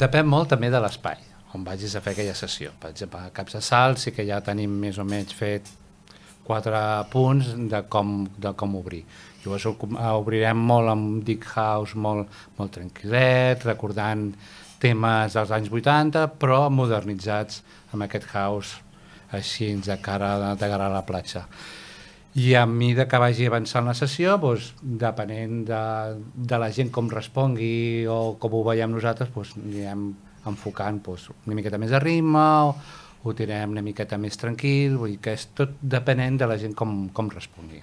Depèn molt també de l'espai on vagis a fer aquella sessió. Per exemple, a Caps de Salt sí que ja tenim més o menys fet 4 punts de com obrir. Llavors obrirem molt amb Deep House, molt tranquil·let, recordant temes dels anys 80, però modernitzats amb aquest house així de cara a la platja. I a mesura que vagi avançant la sessió, doncs, depenent de la gent com respongui o com ho veiem nosaltres, doncs, anirem enfocant una miqueta més de ritme o ho tirem una miqueta més tranquil, vull dir que és tot depenent de la gent com respongui.